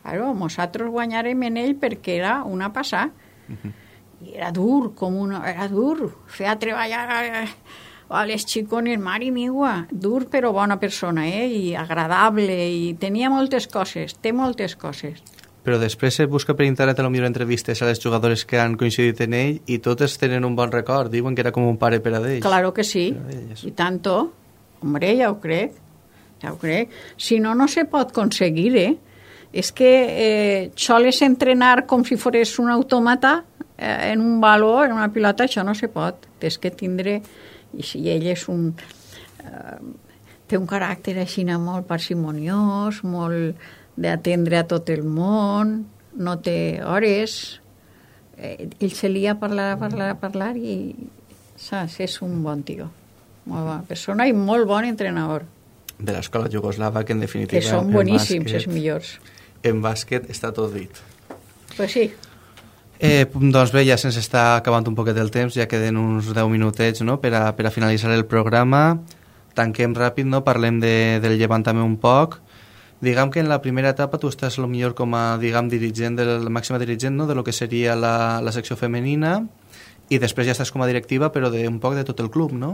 Claro, nosaltres guanyarem en ell perquè era una passada. Uh-huh. I era dur, com una, era dur. Feia treballar a, a les xicones, mare meva. Dur però bona persona, eh? I agradable, i tenia moltes coses, té moltes coses. Però després se busca per internet a lo millor entrevistes a les jugadores que han coincidit en ell i totes tenen un bon record, diuen que era com un pare per a ells. Claro que sí, i tanto. Hombre, ja ho crec, ja ho crec. Si no, no se pot aconseguir, eh? És que eh, soles entrenar com si fores un automata eh, en un valor, en una pilota, això no se pot. Tens que tindre... I si ell és un... Eh, té un caràcter així molt parsimoniós, molt d'atendre a tot el món, no té hores. Eh, ell se lia a parlar, a parlar, a parlar i saps, és un bon tio. Molt bona persona i molt bon entrenador. De l'escola jugoslava, que en definitiva... Que són boníssims, bàsquet, els millors. En bàsquet està tot dit. Pues sí. Eh, doncs bé, ja se'ns està acabant un poquet el temps, ja queden uns deu minutets, no?, per a, per a finalitzar el programa. Tanquem ràpid, no?, parlem de, del Llevant també un poc. Diguem que en la primera etapa tu estàs a lo millor com a, diguem, dirigent, de la màxima dirigent, no?, de lo que seria la, la secció femenina, i després ja estàs com a directiva, però de un poc de tot el club, no?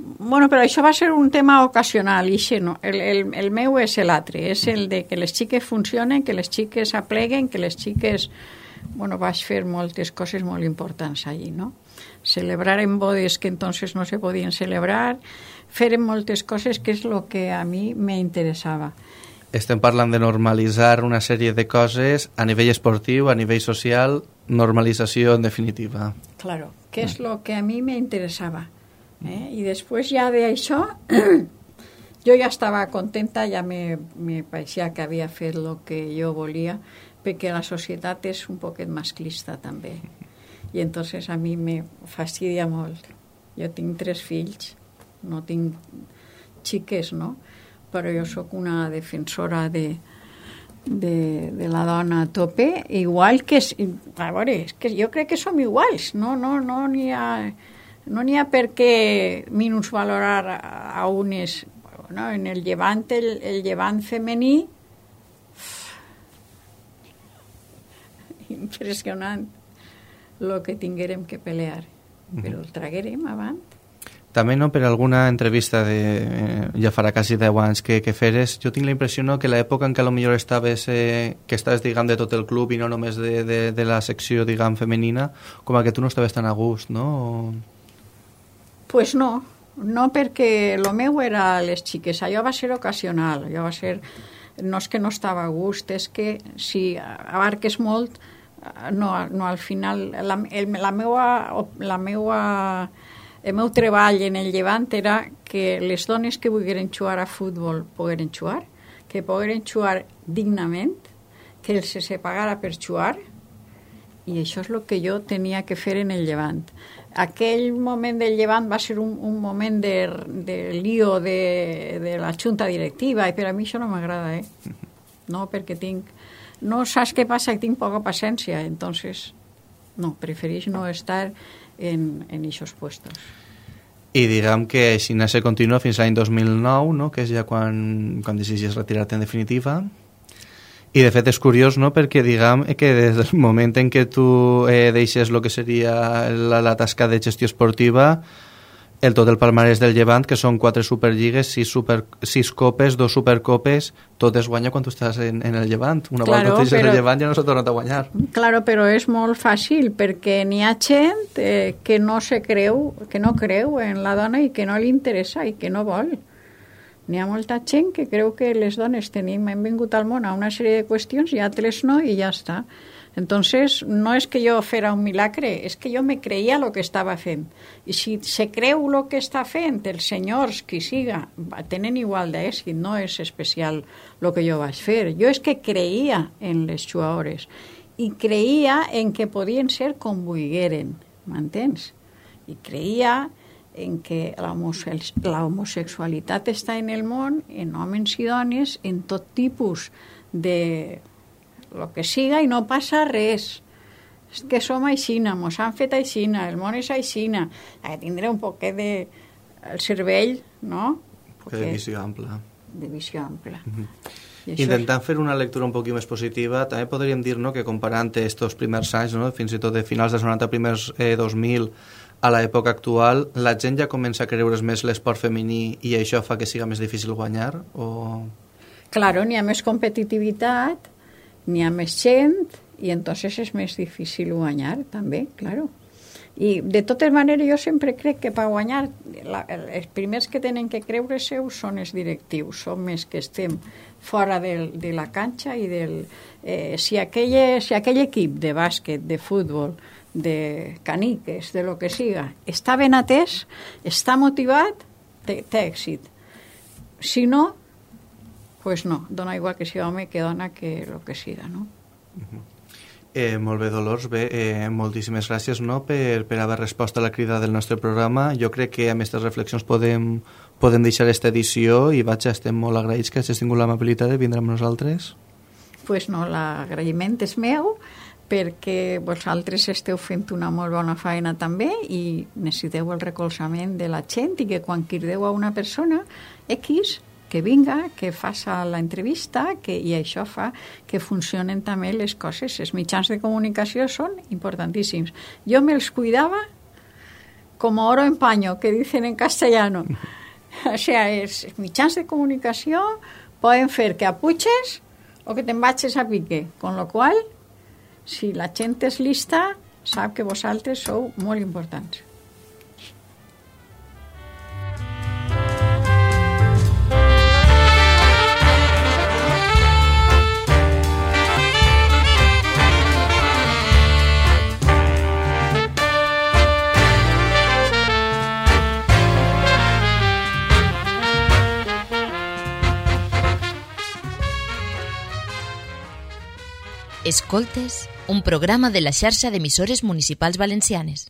Bueno, però això va ser un tema ocasional, ixe, no? el, el, el meu és l'altre, és el de que les xiques funcionen, que les xiques apleguen, que les xiques bueno, vaig fer moltes coses molt importants allí, no? Celebrar en bodes que entonces no se podien celebrar, fer moltes coses que és el que a mi me interessava. Estem parlant de normalitzar una sèrie de coses a nivell esportiu, a nivell social, normalització en definitiva. Claro, que és el que a mi me interessava. Eh? I després ja d'això, jo ja estava contenta, ja me, me pareixia que havia fet el que jo volia, perquè la societat és un poquet masclista també. I entonces a mi me fastidia molt. Jo tinc tres fills, no tinc xiques, no? Però jo sóc una defensora de, de, de la dona a tope, igual que... A veure, és que jo crec que som iguals, no no no n'hi ha, no n'hi ha per què minusvalorar a, a unes... No, en el llevant, el, el llevant femení, impressionant el que tinguérem que pelear, però el traguérem avant. També, no, per alguna entrevista de, eh, ja farà quasi deu anys que, que feres, jo tinc la impressió, no, que l'època en què potser estaves, eh, que estaves, diguem, de tot el club i no només de, de, de la secció, diguem, femenina, com a que tu no estaves tan a gust, no? O... Pues no, no, perquè el meu era les xiques, allò va ser ocasional, allò va ser... No és que no estava a gust, és que si abarques molt, no, no al final... La, el, la meua... La meua El meu treball en el llevant era que les dones que volgueren jugar a futbol pogueren jugar, que pogueren jugar dignament, que els se pagara per jugar, i això és el que jo tenia que fer en el llevant. Aquell moment del llevant va ser un, un moment de, de lío de, de la junta directiva, i per a mi això no m'agrada, eh? No, perquè tinc... No saps què passa? Que tinc poca paciència, entonces no, prefereix no estar en en aquests puestos. I diguem que així se continua fins l'any dos mil nou, no? Que és ja quan, quan decidis retirar-te en definitiva. I de fet és curiós, no? Perquè diguem que des del moment en què tu eh, deixes el que seria la, la tasca de gestió esportiva, el tot el palmarès del Llevant, que són quatre superlligues, sis, super, sis copes, dos supercopes, tot es guanya quan tu estàs en, en el Llevant. Una claro, volta deixes però, el Llevant ja no s'ha tornat a guanyar. Claro, però és molt fàcil, perquè n'hi ha gent eh, que no se creu, que no creu en la dona i que no li interessa i que no vol. N'hi ha molta gent que creu que les dones tenim, hem vingut al món a una sèrie de qüestions i altres no, i ja està. Entonces, no és que jo fera un milagre, és que jo me creia el que estava fent. I si se creu el que està fent, els senyors, qui siga, tenen igual d'èxit, no és especial el que jo vaig fer. Jo és que creia en les jugadores i creia en que podien ser com volgueren, m'entens? I creia en que l'homosexualitat està en el món, en homes i dones, en tot tipus de... el que siga, i no passa res. És que som aixina, mos han fet aixina, el món és aixina. Ha de tindre un poquet de... el cervell, no? Poquet de visió ampla. De visió ampla. Mm-hmm. Intentant és... fer una lectura un poquet més positiva, també podríem dir, no, que comparant estos primers anys, no, fins i tot de finals dels noranta, primers eh, dos mil, a l'època actual, la gent ja comença a creure's més l'esport femení i això fa que siga més difícil guanyar? O... Claro, n'hi ha més competitivitat, n'hi ha més gent i entonces és més difícil guanyar també, claro. I de totes maneres jo sempre crec que per guanyar la, els primers que tenen que creure seu són els directius, són més que estem fora del, de la canxa i del... Eh, si, aquell, si aquell equip de bàsquet, de futbol, de caniques, de lo que siga, està ben atès, està motivat, té, té èxit. Si no, pues no, dona igual que sigui home que dona que el que siga, no? Uh-huh. eh, molt bé, Dolors, bé, eh, moltíssimes gràcies, no, per, per haver respost a la crida del nostre programa. Jo crec que amb aquestes reflexions podem, podem deixar aquesta edició i vaja, estem molt agraïts que hagis tingut l'amabilitat de vindre amb nosaltres. Pues no, l'agraïment és meu, perquè vosaltres esteu fent una molt bona feina també i necessiteu el recolzament de la gent i que quan crideu a una persona X que vinga, que faça l'entrevista que, i això fa que funcionen també les coses. Els mitjans de comunicació són importantíssims. Jo me'ls cuidava com oro en paño, que dicen en castellano. O sea, els mitjans de comunicació poden fer que apuches o que te'n vagis a pique, con lo qual si la gent és lista, sap que vosaltres sou molt importants. Escoltes, un programa de la xarxa d'emissores municipals valencianes.